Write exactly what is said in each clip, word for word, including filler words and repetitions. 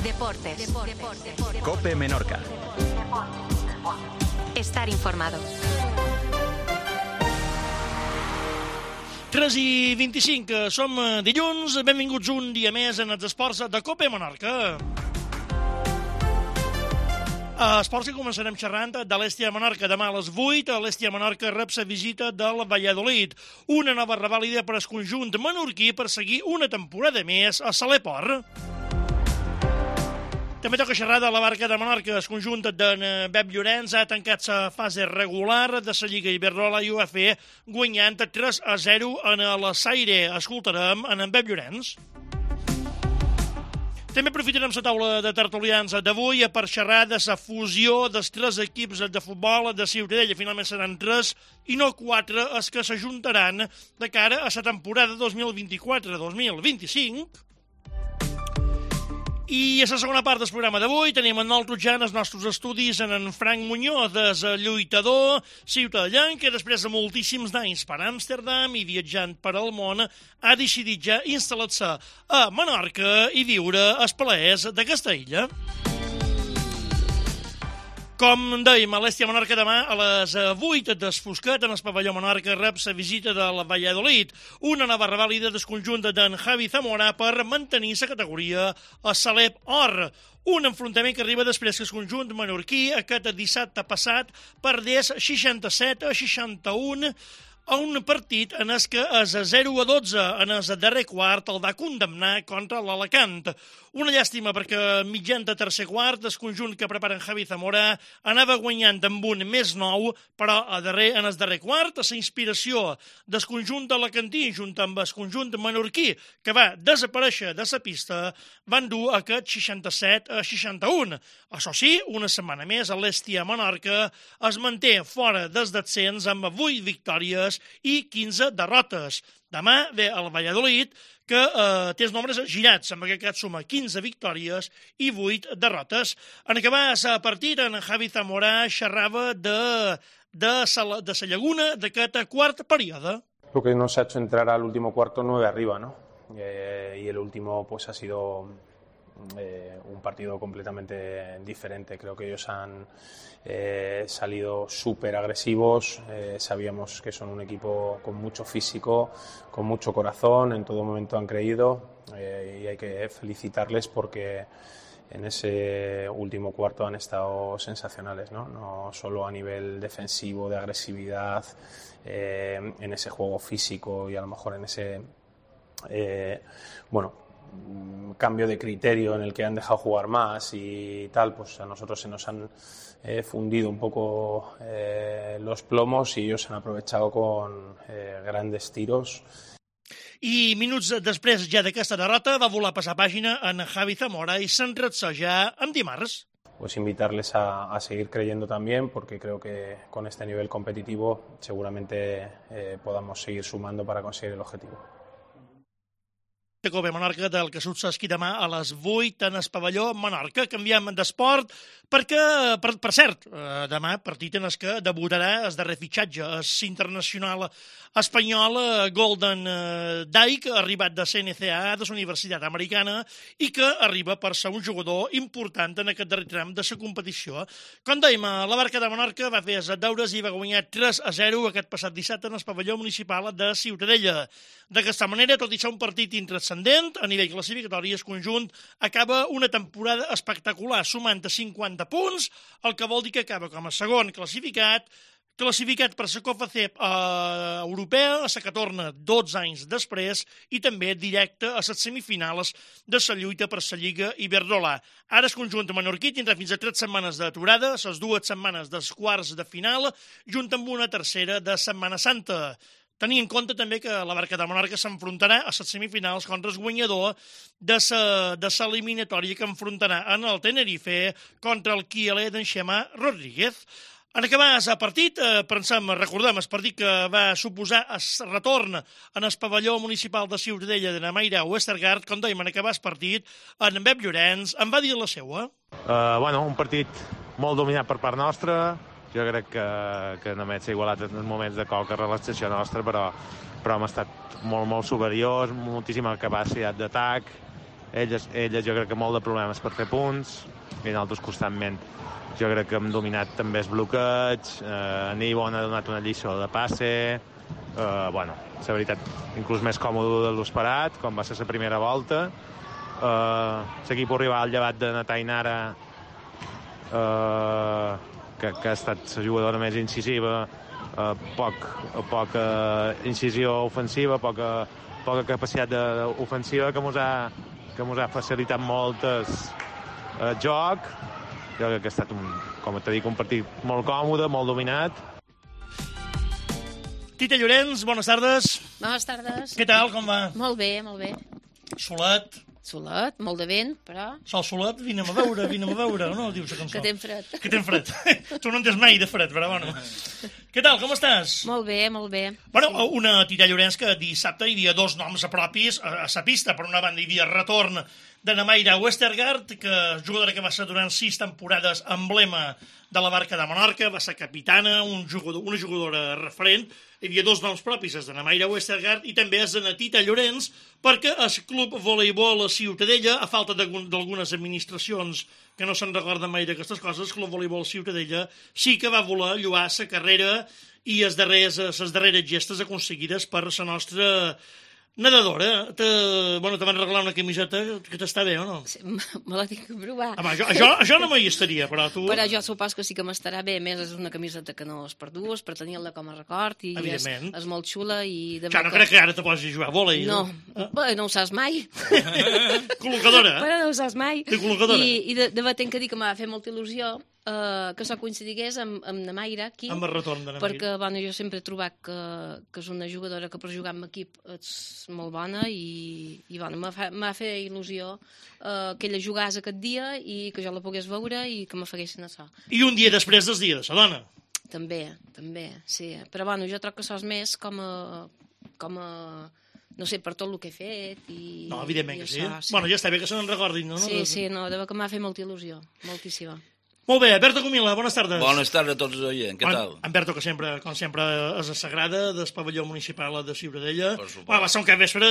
Deportes. COPE Menorca. Estar informado. tres i vint-i-cinc, som dilluns, benvinguts un dia més en els esports de COPE Menorca. A esports que començarem xerrant de l'Hèstia Menorca. Demà a les vuit, l'Hèstia Menorca rep la visita del Valladolid. Una nova revàlida per al conjunt menorquí per seguir una temporada més a Saleport. També toca xerrar de la Barca de Menorca. El conjunt d'en Pep Llorenç ha tancat la fase regular de la Lliga Iberdrola i ho ha fet guanyant tres a zero en la Saire. Escoltarem en Pep Llorenç. També aprofitarem la taula de tertulians d'avui per xerrar de la fusió dels tres equips de futbol de Ciutadella. Finalment seran tres i no quatre els que s'ajuntaran de cara a la temporada dos mil vint-i-quatre dos mil vint-i-cinc. I a la segona part del programa d'avui tenim en nosaltres ja en els nostres estudis en en Frank Muñoz, el lluitador ciutadellà, que després de moltíssims d'anys per Amsterdam i viatjant per al món ha decidit ja instal·lar-se a Menorca i viure els plaers d'aquesta illa. Com dèiem, a l'Hèstia Menorca demà a les vuit desfoscat en el pavelló Menorca rep la visita del Valladolid, una nova revàlida del conjunt d'en Javi Zamora per mantenir la categoria a Salep Or. Un enfrontament que arriba després que el conjunt menorquí aquest dissabte passat perdés seixanta-set a seixanta-u a un partit en el que a zero a dotze en el darrer quart el va condemnar contra l'Alacant. Una llàstima perquè mitjan de tercer quart el conjunt que preparen Javi Zamora anava guanyant amb un més nou, però a darrer, en el darrer quart la inspiració del conjunt alacantí junt amb el conjunt menorquí que va desaparèixer de la pista van dur aquest seixanta-set a seixanta-u. Això sí, una setmana més l'Hèstia Menorca es manté fora del descens amb vuit victòries i quinze derrotes. Demà ve el Valladolid, que eh, té els nombres girats, amb aquest cas suma quinze victòries i vuit derrotes. En acabar el partit, en Javi Zamora xerrava de, de, sa, de sa llaguna d'aquest quart període. Lo que nos ha hecho entrar al último cuarto nueve arriba, ¿no? Eh, y el último pues ha sido eh, un partido completamente diferente. Creo que ellos han eh, salido súper agresivos, eh, sabíamos que son un equipo con mucho físico, con mucho corazón, en todo momento han creído eh, y hay que felicitarles porque en ese último cuarto han estado sensacionales, ¿no? No solo a nivel defensivo, de agresividad, eh, en ese juego físico y a lo mejor en ese eh, bueno cambio de criterio en el que han dejado jugar más y tal, pues a nosotros se nos han eh, fundido un poco eh, los plomos y ellos han aprovechado con eh, grandes tiros. I minuts després ja d'aquesta derrota va voler passar pàgina en Javi Zamora i s'enretsa ja en dimarts. Pues invitarles a, a seguir creyendo también, porque creo que con este nivel competitivo seguramente eh, podamos seguir sumando para conseguir el objetivo. COPE Menorca del que s'esquí demà a les vuit en el pavelló Menorca. Canviem d'esport perquè, per, per cert, demà partit en el que debutarà el darrer fitxatge, el internacional espanyol Golden Dyke, arribat de C N C A, de la Universitat Americana, i que arriba per ser un jugador important en aquest darrer tram de la competició. Com dèiem, la Barca de Menorca va fer els deures i va guanyar tres a zero aquest passat dissabte en el pavelló municipal de Ciutadella. D'aquesta manera, tot i ser un partit intranscendent, a nivell classificatori, el conjunt acaba una temporada espectacular, sumant cinquanta punts, el que vol dir que acaba com a segon classificat, classificat per la Copa C E P eh, europea, a la que torna dotze anys després, i també directe a les semifinals de la lluita per la Lliga Iberdrola. Ara el conjunt menorquí tindrà fins a tres setmanes d'aturada, les dues setmanes dels quarts de final, junt amb una tercera de Setmana Santa. Tenir en compte també que la Barca de Menorca s'enfrontarà a les semifinals contra el guanyador de la eliminatòria que enfrontarà en el Tenerife contra el Kielé d'en Xema Rodríguez. En acabar el partit, pensem, recordem, el partit que va suposar el retorn en el pavelló municipal de Ciutadella de Namaira Westergaard, com dèiem, en acabar el partit, en Pep Llorenç en va dir la seua. Uh, bueno, un partit molt dominat per part nostra. Jo crec que, que només s'ha igualat en moments de qualque relaxació nostra, però, però hem estat molt, molt superiors, moltíssima capacitat d'atac, Elles, elles jo crec que molt de problemes per fer punts, i nosaltres constantment jo crec que hem dominat també els bloqueig, eh, Nibon ha donat una lliçó de passe, eh, bueno, la veritat, inclús més còmode de l'esperat, com va ser la primera volta. Eh, l'equip arriba al llevat de na Tainara, eh, que, que ha estat la jugadora més incisiva, eh, poc, poca incisió ofensiva, poca, poca capacitat ofensiva, que mos ha, que mos ha facilitat molt el eh, joc. Jo crec que ha estat, un, com t'he dit, un partit molt còmode, molt dominat. Tita Llorenç, bones tardes. Bones tardes. Què tal, com va? Molt bé, molt bé. Solet. Solet, molt de vent, però... Sol solet, vine'm a veure, vine'm a veure, no? Dius la cançó. Que ten fred. Que ten fred. Tu no en tens mai de fred, però bueno. Què tal, com estàs? Molt bé, molt bé. Bueno, sí. Una Tita Llorenç que dissabte hi havia dos noms propis a sa pista. Per una banda hi havia retorn de Namaira Westergaard, que jugadora que va ser durant sis temporades emblema de la barca de Menorca, va ser capitana, un jugador, una jugadora referent. Hi havia dos noms propis, els de Namaira Westergaard i també els de Tita Llorenç, perquè el Club Voleibol Ciutadella, a falta d'algunes administracions que no se'n recorden mai d'aquestes coses, el Club Voleibol Ciutadella sí que va voler lloar la carrera i les darreres, les darreres gestes aconseguides per la nostra nedadora. Te, bueno, te van regalar una camiseta que t'està bé, o no? Sí, me la tinc que provar. Home, jo, jo, jo no m'hi estaria, però tu... Però jo supos que sí que m'estarà bé. A més, és una camiseta que no es perdus, per tenir-la com a record, i és, és molt xula. I de ja no crec que ara te posis a jugar a vòlei. No, eh? Bé, no ho saps mai. Col·locadora. Però no ho saps mai. De col·locadora. I, i de, de batent que dir que m'ha fet molta il·lusió Uh, que això coincidigués amb, amb Namaira aquí, amb el retorn de Namaira, perquè bueno, jo sempre he trobat que, que és una jugadora que per jugar en equip és molt bona i, i bueno, m'ha fet il·lusió uh, que ella jugàs aquest dia i que jo la pogués veure i que me faguessin això. I un dia després del dia de la dona. També, també, sí. Però bueno, jo trobo que això és més com a, com a no sé, per tot el que he fet i... No, evidentment que sí. Això, sí. Bueno, ja està bé que se n'en recordin, no? Sí, sí, no, de que m'ha fet molta il·lusió, moltíssima. Molt bé, Berta Comila, bones tardes. Bones tardes a tots els oients, què tal? En Berto, que sempre, com sempre, és a Sagrada, del pavelló municipal de Ciutadella. Per supost. Bueno, va ser un cap vespre...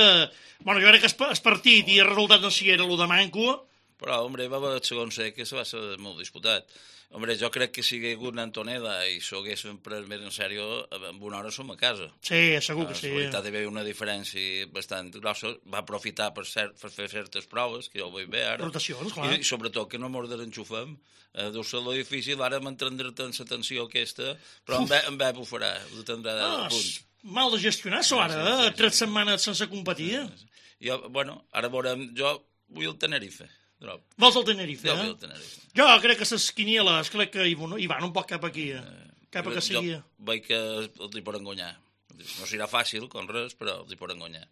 Bueno, jo crec que el partit i el resultat no si era el de manco. Però, home, va haver el segon set, que se va ser molt disputat. Home, jo crec que si hi hagués hagut Antoneda i s'ho haguéssim pres més en sèrio, en una hora som a casa. Sí, segur que sí. En realitat hi havia una diferència bastant grossa. Va aprofitar per, cert, per fer certes proves, que jo ho vull bé ara. Rotacions, clar. I, i sobretot que no mos desenxufem. Eh, deu ser lo difícil ara m'entendre-te en la tensió aquesta, però en bé, en bé ho farà, ho tindrà ah, a punt. Mal de gestionar, això ara, sí, sí, sí, tres setmanes sense competir. Sí, sí. Jo, bueno, ara veurem, jo vull el Tenerife. Drop. Vols el Tenerife, jo eh? vull el Tenerife. Jo crec que les quinieles, crec que hi van un poc cap aquí, eh? cap a que seguia. Jo veig que els hi poden guanyar. No serà fàcil, com res, però els hi poden guanyar.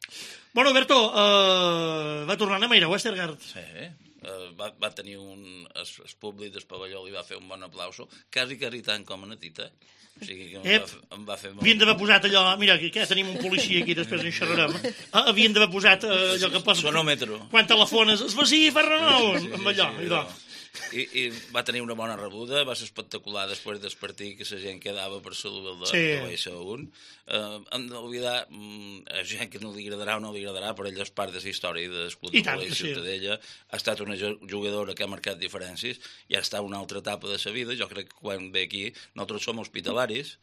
Bueno, Berto, uh, va tornar a Namaira Westergaard. Sí, uh, va, va tenir un... El, el públic del pavelló li va fer un bon aplauso, quasi, quasi tant com a Tita. O sigui que em, eh, va, em va fer molt... Havien d'haver posat allò... Mira, que, que tenim un policia aquí, després en xerrarem. Ah, havien d'haver posat uh, allò que posa... Sonòmetro. Quan telefones, es va sí, fa renou, sí, sí, amb allò. Sí, sí, no. I, I va tenir una bona rebuda, va ser espectacular després del partit, que la gent quedava per saludar de, sí. de l'A S un. Uh, hem d'oblidar, um, a gent que no li agradarà o no li agradarà, però ella és part de la història del Club de Voleibol Ciutadella. Ha estat una jugadora que ha marcat diferències i ha estat una altra etapa de sa vida. Jo crec que quan ve aquí, nosaltres som hospitalaris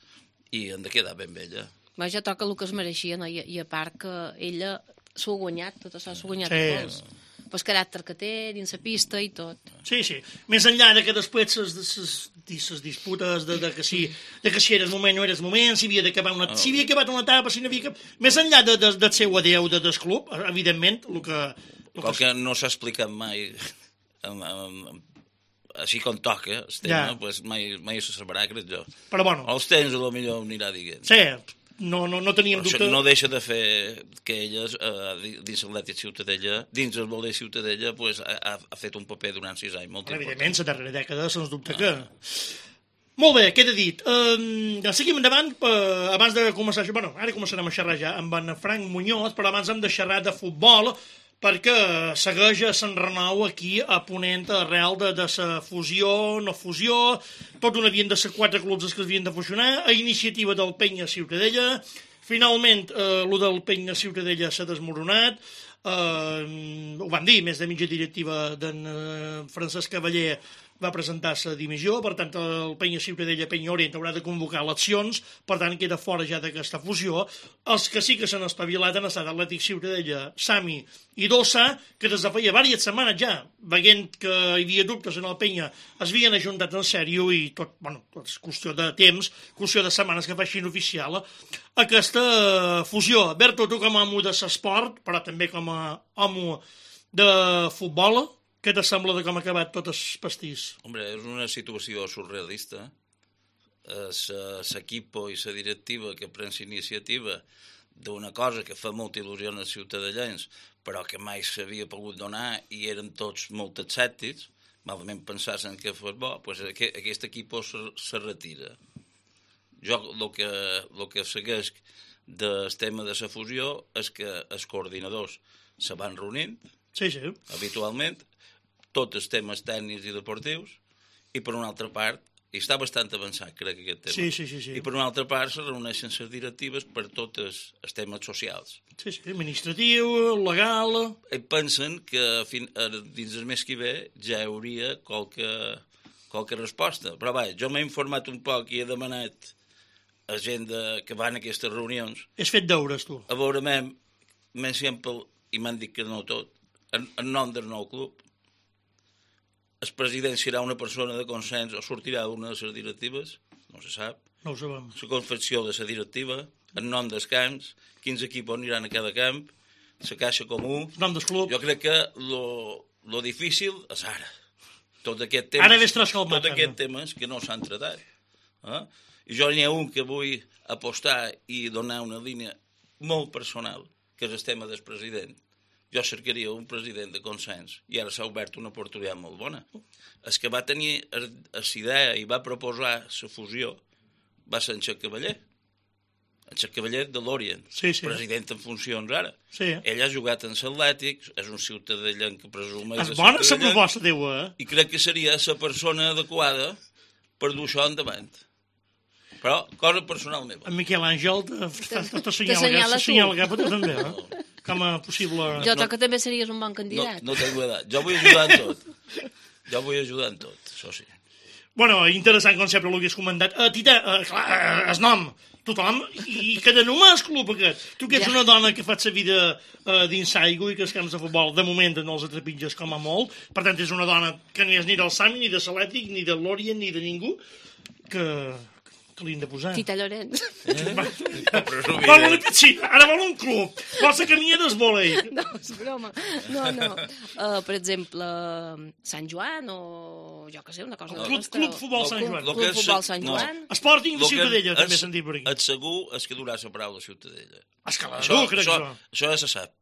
i hem de quedar ben bé ella. Va, ja toca el que es mereixia, no? I, i a part que ella s'ho ha guanyat, tot això s'ho ha guanyat sí. tots. Pel caràcter que té, dins la pista i tot. Sí, sí. Més enllà de que després les disputes de, de, que si, de que si eres moment o no eres moment, si havia d'acabar una, oh. si havia acabat una etapa, si no havia acabat... Més enllà de, de, del seu adeu de, del club, evidentment, el que... El Com que, que no s'ha explicat mai, amb, amb, així com toca el tema, ja. Pues mai, mai se sabrà, crec jo. Però bueno... Els temps, potser anirà dient. Sí, no, no, no teníem dubte... No deixa de fer que elles, eh, dins l'Atlètic Ciutadella, dins el voler Ciutadella, pues, ha, ha fet un paper durant sis anys molt important. Evidentment, la darrera dècada, sens dubte ah. que... Molt bé, queda dit. Uh, seguim endavant, uh, abans de començar... Bueno, ara començarem a xerrar ja amb en Frank Muñoz, però abans hem de xerrar de futbol, perquè segueix a Sant Renou aquí a Ponent arrel de, de sa fusió, no fusió, tot un havien de ser quatre clubs que havien de fusionar, a iniciativa del Penya Ciutadella. Finalment, eh, el del Penya Ciutadella s'ha desmoronat. eh, ho van dir, més de mitja directiva d'en eh, Francesc Cavaller va presentar sa dimissió, per tant el Penya Ciutadella Penya Orient haurà de convocar eleccions, per tant queda fora ja d'aquesta fusió. Els que sí que s'han espavilat han estat Atlètic Ciutadella, Sami i Dossa, que des de feia diverses setmanes ja, veient que hi havia dubtes en el Penya, es havien ajuntat en sèrio i tot, bueno, tot és qüestió de temps, qüestió de setmanes que facin oficial aquesta fusió. Berto, tu com a amo de l'esport, però també com a amo de futbol, què te sembla de com ha acabat tot el pastís? Hombre, és una situació surrealista. L'equipo i la directiva que pren l'iniciativa d'una cosa que fa molta il·lusió als ciutadans, però que mai s'havia pogut donar i eren tots molt escèptics, malament pensassen que fos bo, doncs aquest equip se, se retira. Jo el que, el que segueix del tema de la fusió és que els coordinadors se van reunint sí, sí. habitualment, tots els temes tècnics i deportius, i per una altra part, i està bastant avançat, crec, aquest tema, sí, sí, sí, sí. i per una altra part se reuneixen les directives per tots els, els temes socials. Sí, sí, administratiu, legal... I pensen que fin, dins el mes que ve ja hi hauria qualque, qualque resposta. Però va, jo m'he informat un poc i he demanat a gent de, que van a aquestes reunions... Has fet deures, tu. A veure, m'he sempre, i m'han dit que no tot, en, en nom del nou club, el president serà una persona de consens o sortirà d'una de les directives, no se sap. No ho sabem. La confecció de la directiva, en nom dels camps, quins equips aniran a cada camp, la caixa comú... El nom del club. Jo crec que lo, lo difícil és ara. Tot aquest temes, ara ves transcalmat. Tot aquest temes que no s'han tratat. Eh? I jo n'hi ha un que vull apostar i donar una línia molt personal, que és el tema del president. Jo cercaria un president de consens i ara s'ha obert una oportunitat molt bona. El que va tenir la idea i va proposar la fusió va ser en Xac Cavaller. En Xac Cavaller de l'Orient, sí, sí. president en funcions ara. Sí. Ell ha jugat en l'Atlètic, és un ciutadà que presumeix... És bona la proposta teva, eh? I crec que seria la persona adequada per dur això endavant. Però, cosa personal meva. En Miquel Àngel t'assenyala cap a tu també, eh? Com a possible... Jo crec que també series un bon candidat. No, no tengo edat. Jo vull ajudar en tot. Jo vull ajudar en tot, això sí. Bueno, interessant com sempre el que has comentat. Uh, Tita, uh, clar, uh, el nom, tothom, i que de només el club aquest. Tu que ets ja. una dona que fa sa vida uh, dins aigua i que els camps de futbol, de moment no els atrepitges com a molt, per tant és una dona que ni és ni del Sami, ni de l'Atlètic, ni de l'Orient, ni de ningú, que... que li hem de posar. Tita Llorenç. Eh? Vol una piscina, ara vol un club. Vol la camilla del vòlei. No, és broma. No, no. Uh, per exemple, Sant Joan o jo què sé, una cosa... No, club, club Futbol Sant Joan. Club Futbol Sant Joan. No. Sporting de Ciutadella, també s'han dit per aquí. Et segur és que durà la paraula Ciutadella. És que la dur, crec això. jo. Això ja se sap.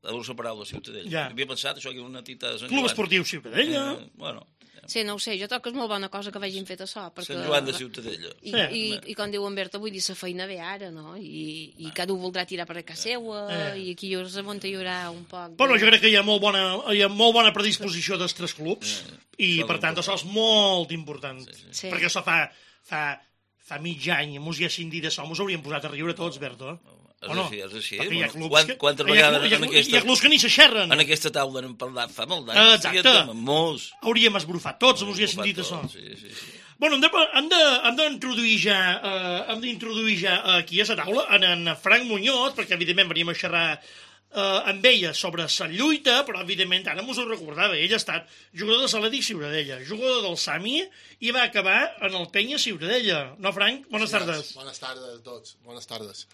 La dur la paraula Ciutadella. Ja. Havia pensat això que una tita de Sant Club Joan. Esportiu Ciutadella. Eh, bueno... Sí, no ho sé, jo trobo que és molt bona cosa que vagin fet això. Perquè... Sant Joan de Ciutadella. I, sí. i, i com diu en Berta, vull dir, la feina ve ara, no? I, i cada un voldrà tirar per a casa seva, eh. i aquí hi haurà un poc... De... Bueno, jo crec que hi ha molt bona, hi ha molt bona predisposició dels tres clubs, eh. i per tant això és molt important, sí, sí. Sí. perquè això fa, fa, fa mig any, mos hi ha cindit això, mos hauríem posat a riure tots, Berta. És o no? així, és així. Bueno, bueno, quant, quantes vegades hi ha, en aquesta... Hi ha clubs que ni s'aixerren. En aquesta taula n'hem parlat fa molt d'anys. Exacte. Molts. Hauríem esbrufat tots, mos hi ha sentit això. Sí, sí, sí. Bueno, hem d'introduir ja, eh, hem d'introduir ja aquí a la taula en, en Frank Muñoz, perquè evidentment veníem a xerrar eh, amb ella sobre la lluita, però evidentment ara mos ho recordava, ell ha estat jugador de l'Atlètic Ciutadella, jugador del Sami i va acabar en el Penya Ciutadella. No, Frank? Bones sí, tardes. Bones tardes a tots, bones tardes.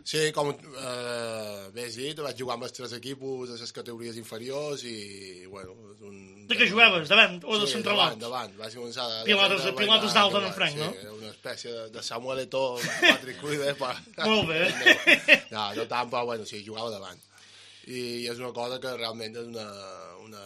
Sí, com eh, bé has dit, vaig jugar amb els tres equipos de les categories inferiors i, bueno... Un... De què jugaves? Davant o de sí, centralat? Sí, davant, davant. Vaig començar... De, pilates de, pilates d'alta en Frank, sí, no? Sí, una espècie de, de Samuel Eto'o, Patrick Kluivert... Pa... Molt bé. No, no tant, però, bueno, sí, jugava davant. I és una cosa que realment és una, una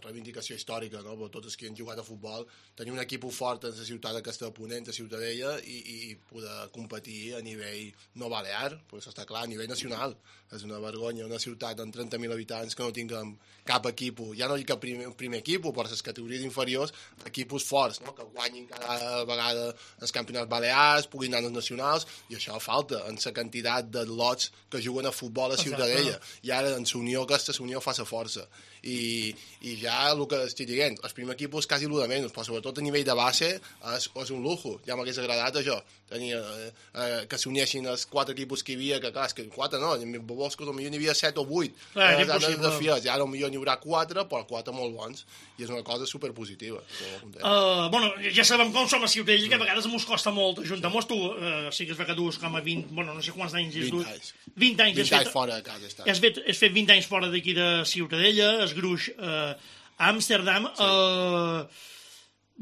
reivindicació històrica, no? Per tots els que han jugat a futbol, tenir un equip fort en la ciutat aquesta de Ponent, a Ciutadella, i, i poder competir a nivell no balear, pues està clar, a nivell nacional. És una vergonya, una ciutat amb trenta mil habitants que no tinguem cap equip, ja no dic que primer, primer equip, per les categories inferiors, equipos forts, no? Que guanyin cada vegada els campionats balears, puguin anar als nacionals, i això falta en la quantitat de lots que juguen a futbol a Ciutadella. I ara en la unió aquesta, la unió fa la força. I, i ja el que estic dient, els primers equipos quasi el de menys, però sobretot a nivell de base és, és un lujo, ja m'hagués agradat això, tenia, eh, eh, que s'unissin els quatre equipos que hi havia, que clar, és que quatre no, en Boscos potser n'hi havia set o vuit, clar, eh, de fies, i ara potser n'hi haurà quatre, però quatre molt bons, i és una cosa superpositiva. Uh, bueno, ja sabem com som a Ciutadella, que a vegades mos costa molt ajuntar-mos, tu uh, sí que es ve que dues com a vint, bueno, no sé quants anys és vint anys. vint anys, vint anys fora de casa està. Has fet, has fet vint anys fora d'aquí de Ciutadella, es gruix eh, a Amsterdam. Sí. Eh,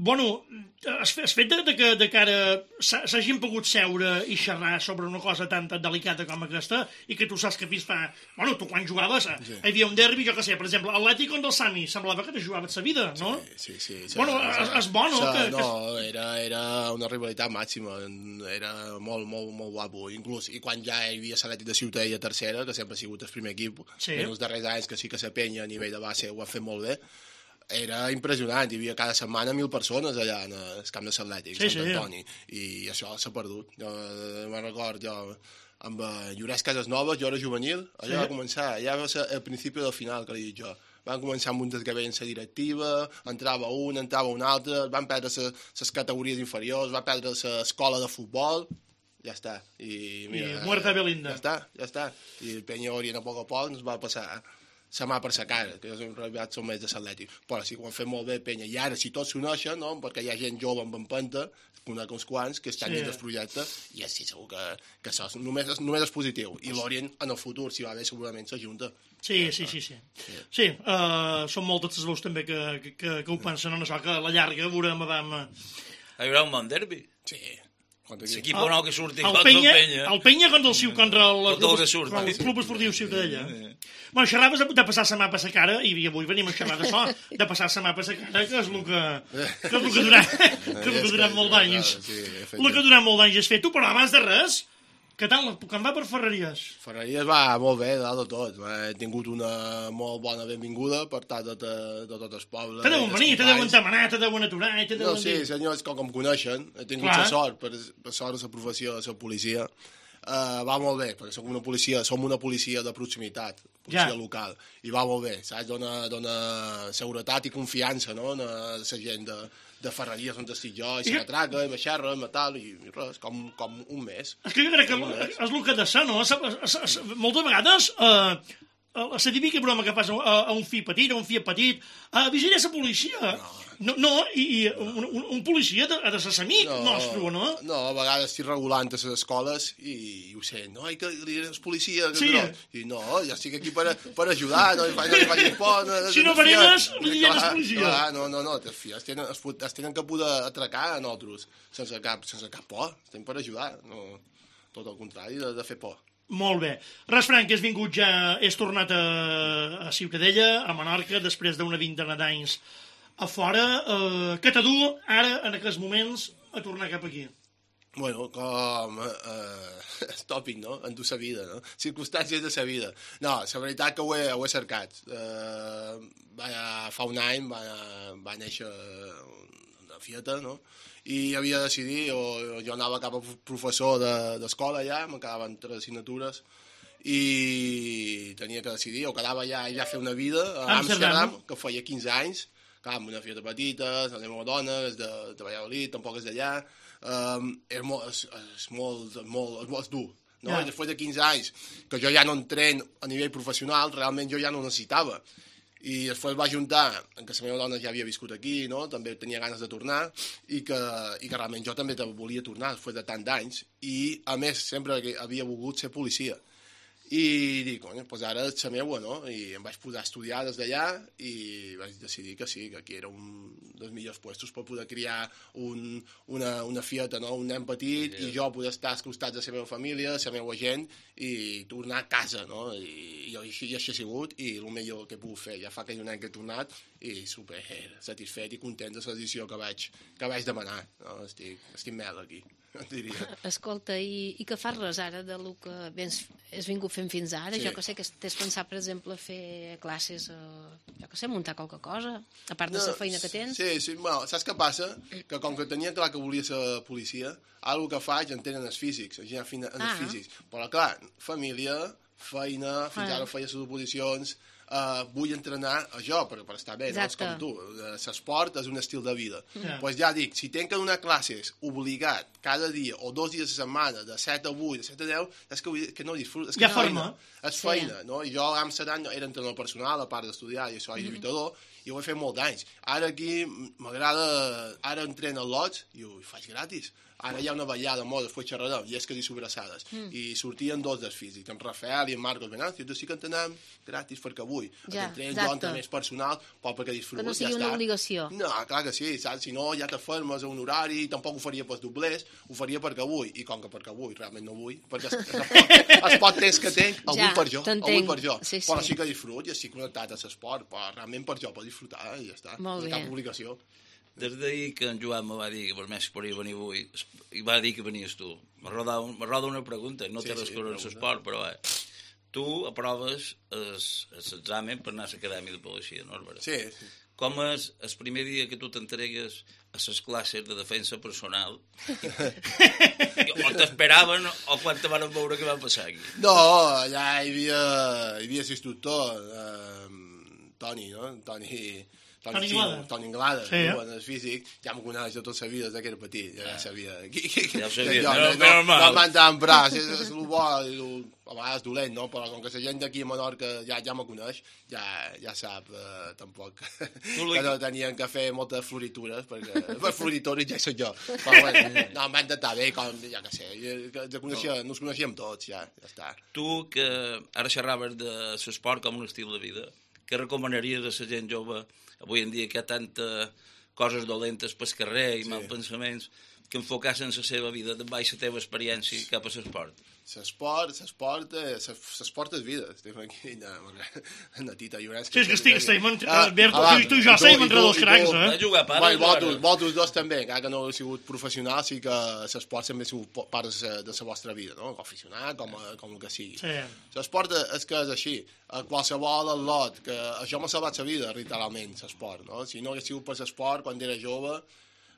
bueno, has, has fet de, de que de cara s'hagin pogut seure i xerrar sobre una cosa tan, tan delicada com aquesta, i que tu saps que fins fa... Bueno, tu quan jugaves, sí. Hi havia un derbi, jo que sé, per exemple, Atlètic contra el Sami, semblava que te jugaves sa vida, no? Sí, sí. sí bueno, és, és bo, no? Sa, que, no, era, era una rivalitat màxima, era molt, molt, molt guapo, inclús, i quan ja hi havia l'Atlètic de Ciutadella tercera, que sempre ha sigut el primer equip, sí. En els darrers anys que sí que la penya a nivell de base ho ha fet molt bé, era impressionant, hi havia cada setmana mil persones allà en el camp de l'Atlètic, sí, Sant Antoni, sí. I això s'ha perdut. Jo me'n record, jo amb Llorès Casasnoves, jo era juvenil, allà sí. Va començar, allà va ser el principi del final, que li dic jo. Van començar amb un desgavell en la directiva, entrava un, entrava un altre, van perdre les categories inferiors, va perdre l'escola de futbol, ja està. I, mira, I muerta Belinda. Ja està, ja està. I el Penya Orient a poc a poc ens va passar la mà per la cara, que en realitat són més de l'Atlètic. Però sí que ho han fet molt bé, Penya. I ara, si tots s'uneixen, no? Perquè hi ha gent jove amb empenta, conec uns quants, que estan sí. Dins del projecte, i sí, segur que, que això només, només és positiu. I l'Orient, en el futur, si va bé, segurament s'ajunta. Sí, sí, sí, sí. Sí, sí uh, són moltes les veus també que, que, que, que ho pensen en això, que a la llarga veurem Adam... Hi haurà un bon derbi? Sí. L'equip el, nou que surti el Penya, el Penya. El Penya contra el, Ciu, contra el, el, club, el Club Esportiu Ciutadella. Bueno, xerraves de, de passar la mà per la cara, i avui venim a xerrar d'això, de passar la mà per la cara, que és el que, que, és el que durant, que, és el que durant molt d'anys. El que durant molt d'anys has fet. Tu, però abans de res, què tal? Com va per Ferreries? Ferreries va molt bé, de dalt de tot. He tingut una molt bona benvinguda per tant de, de, de tot el poble. Te deuen venir, te deuen demanar, te deuen aturar... Te deuen no, sí, senyors, com em coneixen, he tingut la sort, per, per sort de la professió de ser policia. Uh, va molt bé, perquè som una policia, som una policia de proximitat, policia ja. Local, i va molt bé, saps? Dona, dona seguretat i confiança, no?, a la gent de, de Ferreries on estic jo, i se m'atraca, i m'aixerra, i tal, i res, com, com un mes. És que jo crec que és el que ha de ser, no? Moltes vegades... Uh... la típica broma que fas a, a un fill petit, a un fill petit, a vigilar la policia. No, no, i, i un, un, un policia ha de ser amic no, nostre, no? No, a vegades estic regulant a les escoles i, i ho sé, no, i que li és policia, que sí. No. I no, ja estic aquí per, per ajudar, no li facis por. No, si no verenes, li diem és policia. Clar, no, no, no, es, tenen, es, es tenen que poder atracar a nosaltres, sense cap, sense cap por, estem per ajudar, no, tot el contrari de, de fer por. Molt bé. Res, Frank, has vingut ja, has tornat a, a Ciutadella, a Menorca, després d'una vintena d'anys a fora. Eh, què t'adu ara, en aquests moments, a tornar cap aquí? Bueno, com eh, és tòpic, no? En tu sa vida, no? Circumstàncies de sa vida. No, la veritat que ho he, ho he cercat. Eh, va, fa un any va, va néixer una fieta, no? I havia de decidir, o jo anava cap a professor d'escola allà, me quedaven tres assignatures, i tenia que decidir, o quedava allà i ja fer una vida a Amsterdam, que feia quinze anys, clar, amb una fieta petita, la meva dona, és de, de Valladolid, tampoc és d'allà, um, és, molt, és, és, molt, molt, és molt dur, no? Yeah. I després de quinze anys, que jo ja no entren a nivell professional, realment jo ja no necessitava. I després va juntar en què la meva dona ja havia viscut aquí, no? També tenia ganes de tornar, i que, i que realment jo també volia tornar després de tant d'anys, i a més sempre havia volgut ser policia. I dic, doncs pues ara és la meua, no? I em vaig posar a estudiar des d'allà i vaig decidir que sí, que aquí era un dels millors puestos per poder criar un, una, una fieta, no? Un nen petit, sí, i jo poder estar als costats de la meva família, la meva gent, i tornar a casa, no? I, i així, i així ha sigut, i el millor que he pogut fer. Ja fa que un any que he tornat, i super satisfet i content de la decisió que vaig, que vaig demanar. No? Estic, estic mel aquí, diria. Escolta, i, i què fas res ara de lo que vens, has vingut fent fins ara? Sí. Jo que sé que t'has pensat, per exemple, fer classes, eh, jo que sé, muntar qualque cosa, a part de la no, feina que tens? Sí, sí, bueno, saps què passa? Que com que tenia clar que volia ser policia, ara el que faig en tenen els físics, en els ah. físics. Però clar, família, feina, fins ah. ara feia les oposicions, Uh, vull entrenar a jo per, per estar bé, no? És com tu, l'esport és un estil de vida. Yeah. Pues ja dic, si tenc que donar classes obligat cada dia o dos dies a la setmana de set a vuit, de set a deu, és que, que no disfruto, és que ja feina, és feina, sí. No? I jo a Amsterdam era entrenador personal, a part d'estudiar, i això és lluitador, mm-hmm. i ho he fet molt d'anys. Ara aquí m'agrada, ara entreno al Lodge i ho faig gratis. Ara hi ha una ballada molt, després xerrarem, llesques i sobrassades. Mm. I sortien dos dels físics, en Rafael i en Marcos Venancio, i sí que entrenem gratis perquè vull. Ja, entrenem jo entrenament personal, però perquè disfruto. Que no sigui ja una està. Obligació. No, clar que sí, saps? Si no ja t'afermes a un horari, tampoc ho faria pels doblers, ho faria perquè vull. I com que perquè vull, realment no vull, perquè es, es, pot, es pot temps que tenc, el ja, vull per jo, el vull per jo. Sí, sí. Però sí que disfrut i estic connectat a l'esport, però realment per jo, per disfrutar, i ja està. Molt no bé. Cap obligació. Des d'ahir que en Joan me va dir que per més que podria venir avui, i va dir que venies tu. Me roda una pregunta, no té res a veure amb l'esport, però eh, tu aproves l'examen per anar a l'acadèmia de policia, no és veritat? Sí, sí. Com és el primer dia que tu t'entregues a les classes de defensa personal? O t'esperaven o quan te van veure què va passar aquí? No, allà hi havia, hi havia l'instructor, eh, Toni, no? Toni... Toni Inglada. Toni Inglada, sí, eh? En el físic, ja m'ho coneix de tota la vida, des que era petit, ja, ja sabia. Ja ho sabia, no, no, no, no, no m'han tant bras, és, és el bo, a vegades dolent, no? Però com que la gent d'aquí a Menorca ja, ja me coneix, ja, ja sap, eh, tampoc, que no tenien que fer moltes floritures, perquè per floritures ja soc jo. Però bueno, no, m'han d'estar bé, com, ja que sé, ja coneixia, no us coneixíem tots, ja, ja està. Tu, que ara xerraves de l'esport com un estil de vida, què recomanaries a la gent jove avui en dia que hi ha tantes coses dolentes pel carrer i sí. Mal pensaments, que enfocassen la seva vida de baix la teva experiència cap a l'esport? L'esport, l'esport, l'esport és vida. Estem aquí, una tita llorença. Sí, és que estic, estem, Berto, tu i jo estem entre dos cracs, eh? Va jugar a part. Vosaltres dos també, encara que no heu sigut professionals, sí que l'esport sempre ha sigut part de la vostra vida, no? Com aficionat, com, com el que sigui. L'esport és que és així. Qualsevol atlot, que això m'ha salvat la vida, literalment, l'esport, no? Si no hagués sigut per l'esport, quan era jove,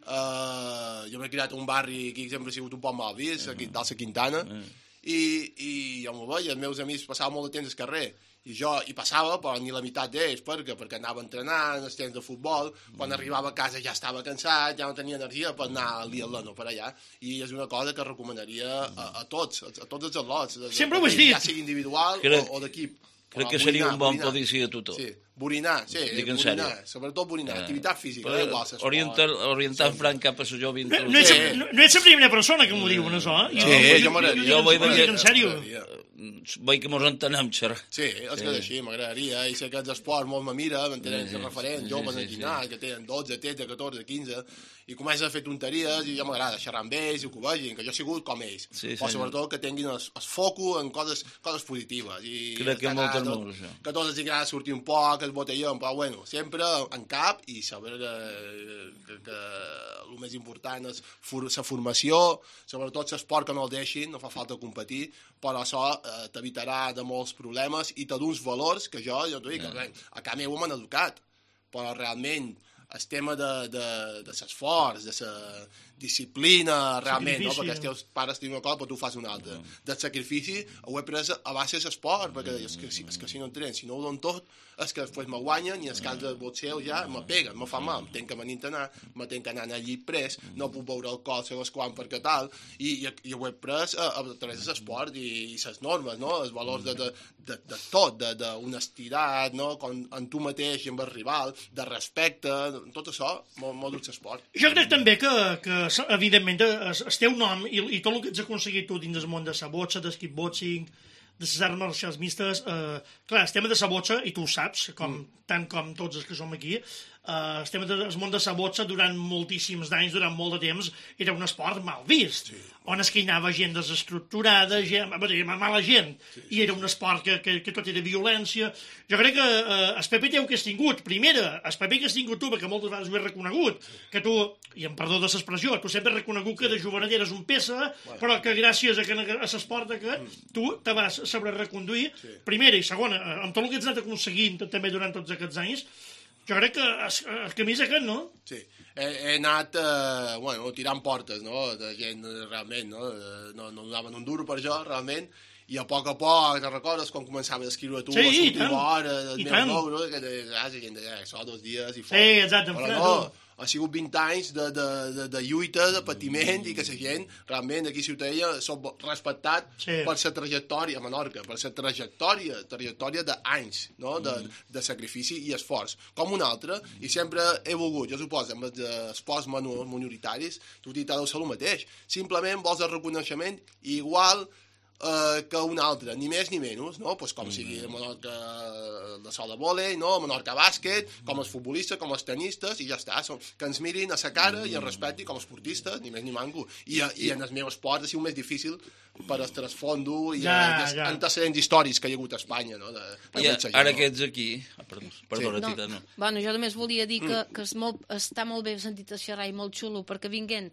Uh, jo m'he criat un barri aquí que sempre ha sigut un poc mal vist, aquí dalt la Quintana, i, i jo m'ho veia, els meus amics passaven molt de temps al carrer, i jo hi passava, però ni la meitat d'ells, perquè perquè anava a entrenar en els temps de futbol, quan arribava a casa ja estava cansat, ja no tenia energia per anar al dia no per allà, i és una cosa que recomanaria a, a tots, a, a tots els atlots, sempre ho has dit, ja sigui individual crec, o, o d'equip. Crec que seria un bon policia a tothom. Sí. Borinar, sí, borinar, sobretot borinar, ah. activitat física, no igual s'esport. Orientar, orientar sí. Franc cap a la jove no, no, ets, no, no ets la primera persona que m'ho diuen, això, eh? Sí, jo, jo m'agradaria. Jo vull dir, en sèrio. Vull que mos entenem, xerrar. Sí, és que és així, m'agradaria, i sé que els esports molt me mira, m'entenen els referents, joves en ginàs, que tenen dotze, tretze, catorze, quinze, i comencen a fer tonteries, i ja m'agrada xerrar amb ells, i que ho vegin, que jo he sigut com ells, però sobretot que tinguin el foco en coses positives. Crec que molt molt, això. Que tots els agrada sortir un poc, el botelló, però bueno, sempre en cap i saber que, que, que el més important és la formació, sobretot l'esport que no el deixin, no fa falta competir, però això eh, t'evitarà de molts problemes i te d'uns valors que jo, jo t'ho dic, yeah. A casa meu m'han educat, però realment el tema de, de, de l'esforç, de la disciplina, realment, no? Perquè els teus pares tenen una cosa, però tu fas una altra. Del sacrifici ho he pres a base de l'esport, perquè és que, és que si no entrenen, si no ho donen tot, és que després me guanyen i els camps de boxeo ja me peguen, me fa mal, em tenc que venir a entrenar, me tenc que anar al llit pres, no puc veure alcohol segons quan perquè tal, i, i, i ho he pres a, a través de l'esport i, i les normes, no? Els valors de, de, de, de tot, d'honestitat, no? Com en tu mateix i amb el rival, de respecte, tot això, molt, molt dut l'esport. Jo crec també que, que evidentment, el teu nom i, i tot el que ets aconseguit tu dins del món de la botxa, del kickboxing, de les arts marcials mistes, eh, clar, el tema de la botxa, i tu ho saps, com, mm. tant com tots els que som aquí, eh, estem al món de la boxa durant moltíssims d'anys, durant molt de temps, era un esport mal vist, sí. on es que hi anava gent desestructurada, sí. gent, mala gent, sí, sí, i era un esport que, que, que tot era violència. Jo crec que eh, el paper teu que has tingut, primera, el paper que has tingut tu, perquè moltes vegades ho he reconegut, sí. que tu, i em perdó de l'expressió, tu sempre has reconegut que de jovenet eres un peça, bueno. però que gràcies a, que, a l'esport que tu te vas saber reconduir, sí. primera i segona, amb tot el que has anat aconseguint també durant tots aquests anys, jo crec que el, el camí és aquest, no? Sí, he, he anat eh, bueno, tirant portes, no?, de gent realment, no?, no, no donaven un duro per jo, realment, i a poc a poc, te'n recordes quan començaves a escriure tu, sí, a l'última hora, del meu nou, que de vegades gent deia, això, dos dies i fora. Sí, exacte, però no, ha sigut vint anys de, de, de, de lluita, de patiment, i que la gent, realment, aquí a Ciutadella, som respectat sí. per la trajectòria a Menorca, per la trajectòria, trajectòria d'anys, no?, de, de sacrifici i esforç, com un altre, i sempre he volgut, jo suposo, amb els esports minoritaris, tu t'hi deu ser el mateix, simplement vols el reconeixement igual Uh, que un altre, ni més ni menys, no? Pues com mm. sigui Menorca de sol de vòlei, no? Menorca bàsquet, com els futbolistes, com els tenistes, i ja està, Som, que ens mirin a sa cara mm. i ens respectin com a esportistes, ni més ni manco. I, i en el meu esport ha sigut més difícil per el trasfondo i ja, els ja. antecedents històrics que hi ha hagut a Espanya, no? De, de ja, ara que ets aquí... Ah, perdó, perdona, sí. Tita, no. Bueno, jo només volia dir que, que és molt, està molt bé sentit a xerrar i molt xulo, perquè vinguent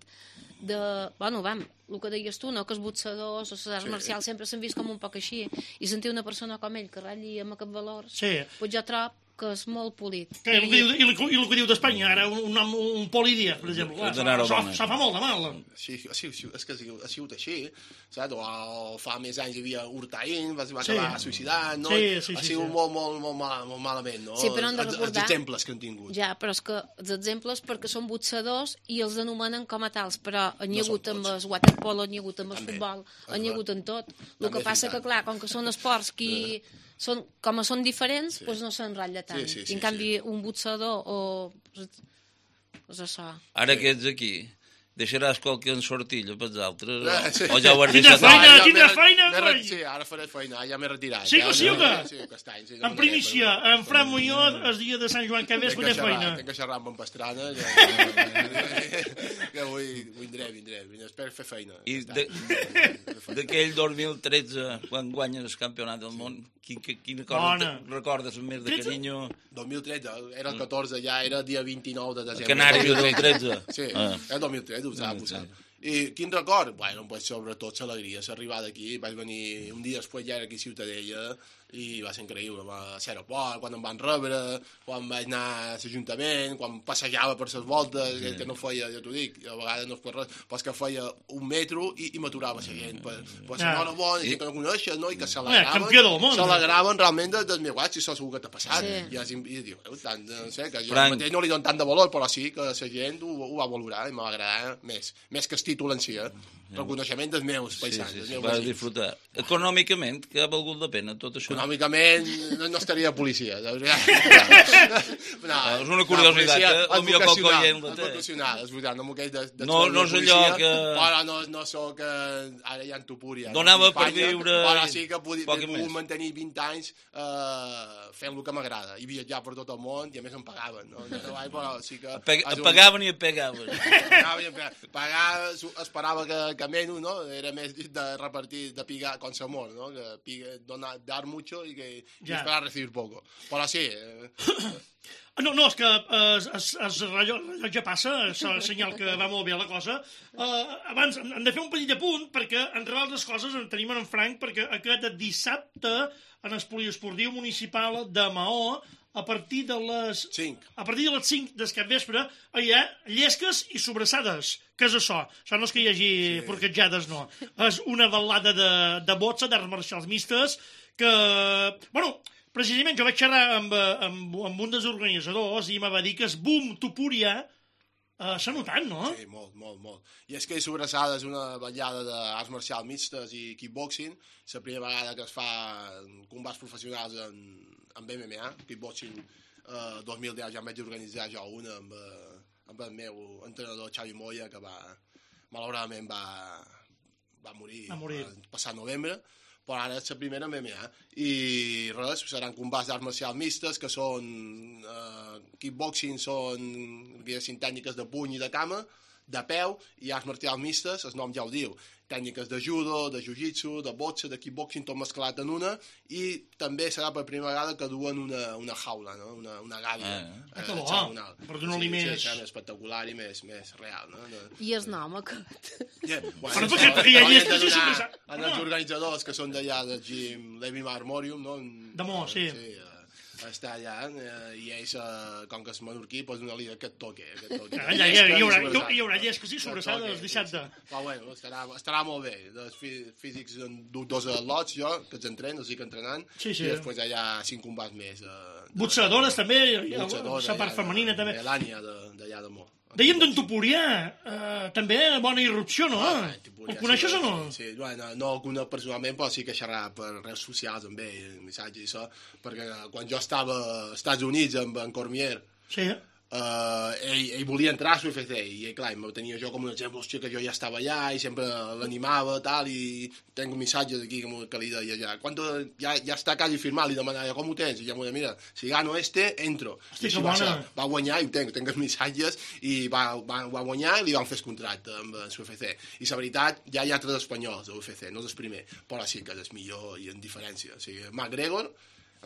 de... Bueno, vam, el que deies tu, no?, que els boxadors o les arts sí. marcials sempre s'han vist com un poc així, i sentir una persona com ell que ratlli amb aquest valor, sí. pues jo trobo que és molt polit. Que, I, i, i, i el que diu d'Espanya, ara, un nom, un Poli Díaz, per exemple, això fa molt de mal. Sí, sí, sí, és que ha sigut així, saps? O fa més anys hi havia Hurtaín, va, va sí. acabar suïcidant, no? Sí, sí, sí, ha sigut sí. molt, molt, molt, mal, molt malament, no? Sí, però hem de recordar... Els exemples que han tingut. Ja, però és que els exemples perquè són boxadors i els anomenen com a tals, però han hi ha hagut amb el waterpolo, han hi ha hagut amb el futbol, han hi ha hagut en tot. El que passa que, clar, com que són esports que... Són, com són diferents, sí. doncs no s'enrotlla tant. Sí, sí, sí, I en canvi, sí. un boxador o... És això. Ara que ets aquí, deixaràs qualque ensortillo pels altres? Ah, sí. O ja ho has quina deixat? Feina, ja quina feina, feina! Sí, ara faré feina, ja m'he retirat. Sí que sí o què? Sí, aquest any. Sí, en primícia, en Fran Muñoz, el dia de Sant Joan que ve, es faré feina. Tinc que xerrar amb en Pastrana, que avui vindré, vindré, espero fer feina. I d'aquell dos mil tretze, quan guanyes el campionat del món, quina cosa recordes amb més de carinyo? dos mil tretze, era el catorze, ja era dia vint-i-nou de desembre. Canari dos mil tretze? Sí, era dos mil tretze, ho sap, ho sap. I quin record? Bueno, pues sobretot l'alegria, l'arribada aquí, vaig venir un dia després ja era aquí a Ciutadella i va ser increïble, a l'aeroport, quan em van rebre, quan vaig anar a l'Ajuntament, quan passejava per les voltes, sí. que no feia, ja t'ho dic, a vegades no és per res, però és que feia un metro i, i m'aturava la gent, per, per la nora bona, i que no coneixes, no? I que s'alegraven, s'alegraven realment del de meu guat, si això segur que t'ha passat. Sí. I, i, i diu, tant, no sé, que jo mateix no li dono tant de valor, però sí que la gent ho, ho va valorar i m'ha agradat més, més que el títol en si, eh? Reconeixement dels meus paisans. Sí, sí, sí, va disfrutar. Econòmicament, que ha valgut la pena tot això? Econòmicament no, no estaria de policia. De no, és una curiositat, eh? El millor que el coient la té. Vocacional, és veritat, no m'ho queix de, de no, no és allò que... Però no, no sóc... Ara ja en Tupúria. Donava per viure... Però sí que he pogut mantenir vint anys eh, fent el que m'agrada i viatjar per tot el món i a més em pagaven. No? Però sí que... Et pagaven i et pegaven. Pagar, esperava que que menys, no? Era més de repartir, de pigar con amor, no? Que pigue, donar, dar mucho y que y esperar recibir poco. Però sí... Eh... No, no, és que eh, es, es rellotge passa, és el senyal que va molt bé la cosa. Eh, abans, hem de fer un petit apunt, perquè, entre altres coses, en tenim en Frank, perquè aquest dissabte, en el poliesportiu municipal de Maó, a partir de les cinc, a partir de les cinc del capvespre hi ha llesques i sobrassades. Què és això? Això no és que hi hagi sí. porquetjades, no. És una balada de, de boxa, d'arts marcials mistes, que... Bueno, precisament jo vaig xerrar amb, amb, amb un dels organitzadors i em va dir que el boom Tupúria uh, s'ha notat, no? Sí, molt, molt, molt. I és que Sobrassada és una ballada d'arts marcials mixtes i kickboxing. És la primera vegada que es fa combats professionals en, en M M A, kickboxing. Uh, dos mil deu ja em vaig organitzar jo una amb, uh, amb el meu entrenador Xavi Moya, que va, malauradament va, va morir, va morir. el passat novembre. però ara és la primera M M A. I res, seran combats d'arts marcials mistes, que són eh, kickboxing, són diguéssim, tècniques de puny i de cama, de peu, i arts marcials mistes, el nom ja ho diu, tècniques de judo, de jiu-jitsu, de boxe, de kickboxing, tot mesclat en una, i també serà per primera vegada que duen una, una jaula, no? una, una gàbia. Ah, eh, que bo, per donar-li sí, més... Sí, serà més espectacular i més, més real. No? I el nom, aquest? Yeah, bueno, però perquè, perquè ja hi és... En els organitzadors que són d'allà del gym Levi Armorium, no? De Mo, sí. Sí, està allà, eh, i ells, eh, com que és menorquí, pues una liga aquest toque. Aquest toque. Ah, ja, ja, hi, haurà, hi haurà llesques i sobrassades el dissabte. Sí, sí. Però bueno, estarà, estarà molt bé. Els físics, dos lots, jo, que els entreno, els estic entrenant, sí, sí. I després hi ha cinc combats més. Eh, Boxadores també, la part femenina també. L'Ània d'allà de Mo. Dèiem d'en Tupurià, eh, també bona irrupció, no? Ah, Ho coneixes o no? Sí, bueno, no el conec personalment, però sí que xerrava per redes socials amb ell, missatges i això, perquè quan jo estava als Estats Units amb en Cormier, sí. Uh, ell, ell volia entrar a l'U F C i ell, clar, em tenia jo com un exemple, hòstia, que jo ja estava allà i sempre l'animava tal, i tenc missatges aquí que, que li deia ja, quan ja, ja està quasi firmat, li demanava com ho tens, i ja m'ho deia, mira, si gano este, entro. Hosti, I va, ser, va guanyar i ho tenc, tenc els missatges i va, va, va guanyar i li van fer el contracte amb l'U F C, i la veritat ja hi ha altres espanyols a l'U F C, no és el primer, però sí que és el millor i en diferència, o sigui, McGregor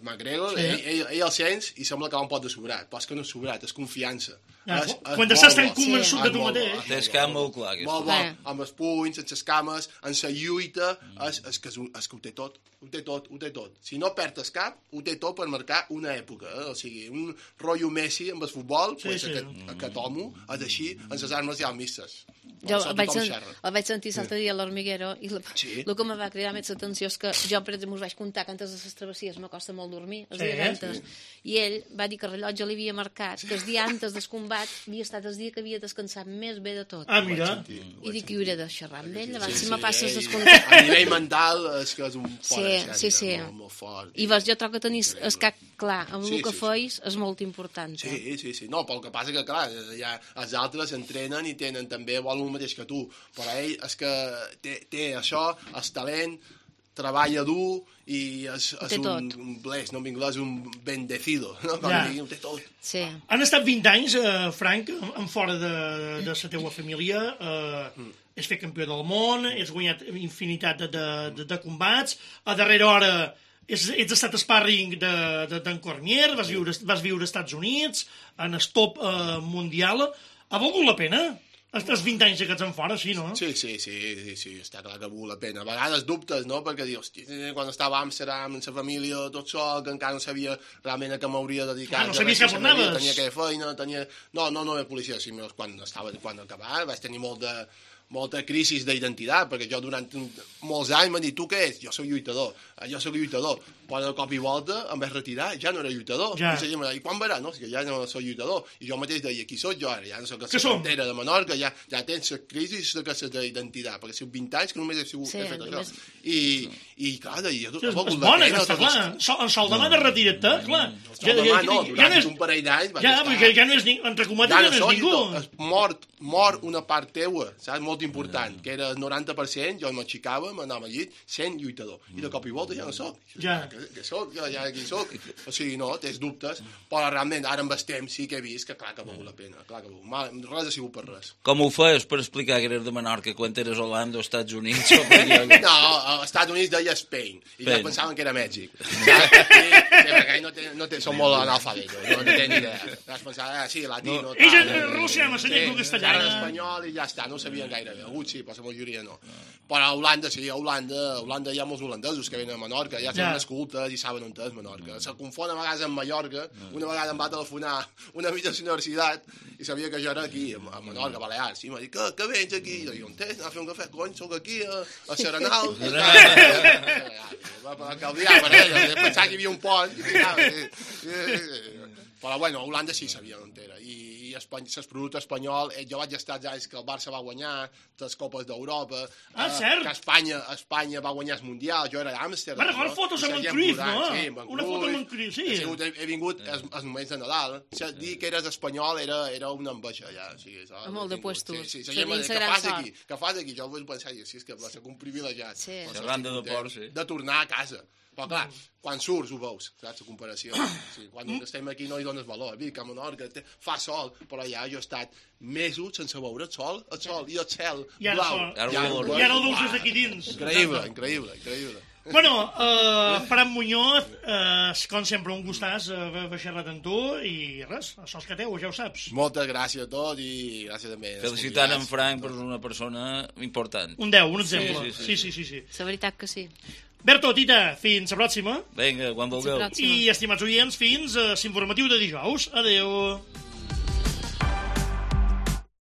McGregor, sí. ell, ell, ell el sents i sembla que va un pot de sobrat, però és que no és sobrat, és confiança. Ah, és, és quan estàs tan convençut sí. de tu mateix. Té el camp molt clar. Molt bo, amb els punys, amb les cames, amb la lluita, és, és, que és, un, és que ho té tot, ho té tot, ho té tot. Si no perd el cap, ho té tot per marcar una època. Eh? O sigui, un rotllo Messi amb el futbol, sí, pues, sí. Aquest, aquest home és així, amb les armes ja mistes. Jo el vaig, sen, el vaig sentir l'altre dia a l'Hormiguero i el, sí. el que em va cridar més l'atenció és que jo, per exemple, us vaig comptar que antes de les travessies m'acosta molt dormir, els sí, dies antes, sí. I ell va dir que el rellotge li havia marcat que el dia antes del combat havia estat el dia que havia descansat més bé de tot. Ah, mira. I dic que hi hauré de xerrar amb ell, abans sí, si sí, me passes ell, descomptat. A nivell mental és que és un fort sí, de sí, sí. molt, molt fort. I vas, jo trobo que tenir el cap clar amb sí, el que sí, feis és molt important. Sí, eh? sí, sí. No, però el que passa que, clar, ja, els altres entrenen i tenen també, volen el mateix que tu, però ell és que té, té això, el talent, treballa dur i és, és un, un bless, no en anglès, un bendecido, no? Com ja. Digui, té tot. Sí. Han estat vint anys, eh, Frank, en fora de, de la teua família, eh, mm. és fer campió del món, és guanyat infinitat de, de, de combats, a darrera hora ets, ets estat sparring d'en de, de, Cormier, vas viure, vas viure als Estats Units, en el top eh, mundial, ha valgut la pena? Els vint anys aquests en fora, sí, no? Sí, sí, sí, sí, sí, està clar que val la pena. A vegades dubtes, no?, perquè dius, hosti, quan estava a Amsterdam, amb la família, tot sol, que encara no sabia realment a què m'hauria dedicat. Ah, no sabies cap on anaves. Tenia aquella feina, tenia... No, no, no era policia, sí, quan estava, quan acabava, vaig tenir molt de... molta crisi d'identitat, perquè jo durant molts anys m'han dit, tu què ets? Jo soc lluitador, jo soc lluitador, però de cop i volta em vaig retirar, ja no era lluitador, ja. I, i quan verà? No, que ja no soc lluitador, i jo mateix deia, qui soc jo ara? Ja no soc a la frontera de Menorca, ja, ja tens la crisi d'identitat, perquè si vint anys que només he, sigut, sí, he fet només... això, i, i clar, deia, sí, és bona aquesta, clar, en sol demà de retira't, clar, sol demà no, durant un parell d'anys ja, perquè ja no és ningú, entre cometes ja no és ningú, mort, mort una part teua, saps, molt important, que era el noranta per cent, jo m'aixecava, m'anava al llit, sent lluitador. I de cop i volta ja no soc. Ja. Que, que soc, ja, ja aquí soc. O sigui, no, tens dubtes, però realment ara amb el temps sí que he vist que clar que val la pena, clar que val. Res ha sigut per res. Com ho feies per explicar que eres de Menorca quan eres a Holanda o Estats Units? O no, als Estats Units deia Spain, i ja pensaven que era Mèxic. Sí, perquè no, té, no té, són molt analfabetos, no, no tenen idea. Vas pensar, ah, sí, latino, tal. Ells eren Rússia, m'ensenyen tu castellana. Ara espanyol i ja està, no sabien gaire bé. Alguns sí, però la majoria no. Però a Holanda, sí, a Holanda, a Holanda hi ha molts holandesos que venen a Menorca, ja tenen les cultes i saben on és Menorca. Se confon a vegades amb Mallorca, una vegada em va telefonar una amiga de la universitat i sabia que jo era aquí, a Menorca, a Balears, i em va dir, que, que vens aquí? I jo, on tens? Anar a fer un cafè? Cony, soc aquí, a, a Serenal. Va caldiar per ella, pensava que hi havia un pont. Però, bueno, Holanda sí sabia on era. I, i Espany... l'espanyol espanyol, eh, jo vaig estar els anys que el Barça va guanyar les Copes d'Europa. Ah, eh, cert? Que Espanya, Espanya va guanyar el Mundial, jo era a Amsterdam. Va record fotos amb en Cruyff, no? Sí, amb en Una foto amb en Cruyff, sí. He, sigut, he, he vingut als, als moments de Nadal. O sigui, dir que eres espanyol era, era una enveja, ja. O sigui, això, molt de puestos. Sí, sí, sí, Tenint que gran fas sort. aquí, que fas aquí, jo vaig pensar, sí, és que va ser un privilegiat. Sí. Xerrant de deport, sí. De tornar a casa. Però clar, quan surts ho veus, saps, la comparació. Sí, quan estem aquí no hi dones valor. Vic, a Menorca, te, fa sol, però ja jo he estat mesos sense veure el sol, el sol i el cel I ara blau. sol. Ara ho veurem. I ara el veus des d'aquí dins. Increïble, increïble, increïble. Bueno, uh, Fran Muñoz, uh, com sempre, un gustàs uh, haver xerrat amb tu i res, això és que teu, ja ho saps. Moltes gràcies a tots i gràcies també. als Felicitant en convidats. Frank per una persona important. Un deu, un exemple. Sí, sí, Sí, sí, sí. sí. La veritat que sí. Berto, Tita, fins la pròxima. Vinga, quan vulgueu. Fins la pròxima. I, estimats oients, fins a l'informatiu de dijous. Adeu.